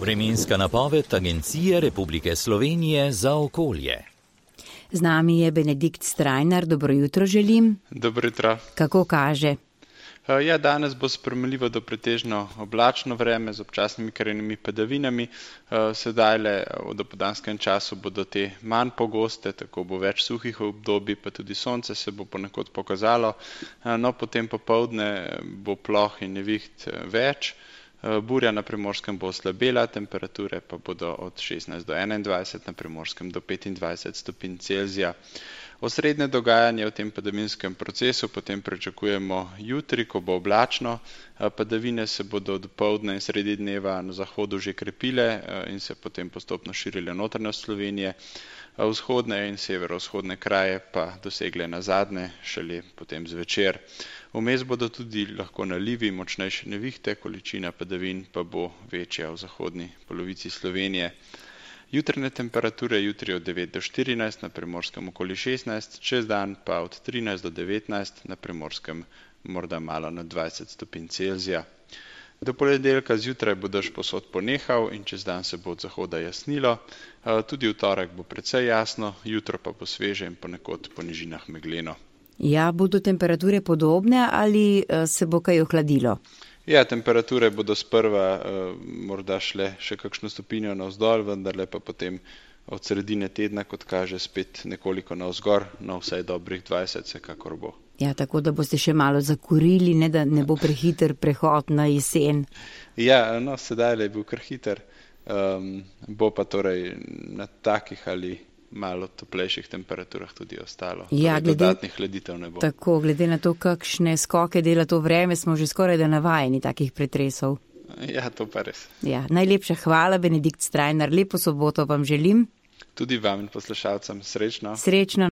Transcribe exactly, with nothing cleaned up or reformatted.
Vremenska napoved Agencije Republike Slovenije za okolje. Z nami je Benedikt Strajnar, dobro jutro želim. Dobro jutro. Kako kaže? Ja, danes bo sprejemljivo do pretežno oblačno vreme z občasnimi krajnimi padavinami. Sedajle v dopoldanskem času bodo te manj pogoste, tako bo več suhih obdobij, pa tudi sonce se bo ponekod pokazalo. No, potem popoldne bo ploh in neviht več. Burja na Primorskem bo oslabela, temperature pa bodo od šestnajst do enaindvajset, na Primorskem do petindvajset stopinj Celzija. Osrednje dogajanje v tem padavinskem procesu potem pričakujemo jutri, ko bo oblačno. Padavine se bodo dopoldne in sredi dneva na zahodu že krepile in se potem postopno širile notranjost Slovenije. Vzhodne in severovzhodne kraje pa dosegle nazadnje šele potem zvečer. Vmes bodo tudi lahko nalivi, močnejše nevihte, količina padavin pa bo večja v zahodni polovici Slovenije. Jutranje temperature jutri od devet do štirinajst, na Primorskem okoli šestnajst, čez dan pa od trinajst do devetnajst, na Primorskem morda malo nad dvajset stopinj Celzija. Do ponedeljka zjutraj bo dež povsod ponehal in čez dan se bo od zahoda jasnilo. Tudi v torek bo precej jasno, jutro pa bo sveže in ponekod po nižinah megleno. Ja, bodo temperature podobne ali se bo kaj ohladilo? Ja, temperature bodo sprva uh, morda šle še kakšno stopinjo navzdol, vendarle pa potem od sredine tedna, kot kaže, spet nekoliko navzgor, no vsaj dobrih dvajset se kakor bo. Ja, tako da boste še malo zakurili, ne da ne bo prehiter prehod na jesen. Ja, no sedaj je bil kar hiter, um, bo pa torej na takih ali malo toplejših temperaturah tudi ostalo. Ja, torej, glede, dodatnih hladitev ne bo. Tako, glede na to, kakšne skoke dela to vreme, smo že skoraj da navajeni takih pretresov. Ja, to pa res. Ja, najlepša hvala, Benedikt Strajnar, lepo soboto vam želim. Tudi vam in poslušalcem srečno. Srečno.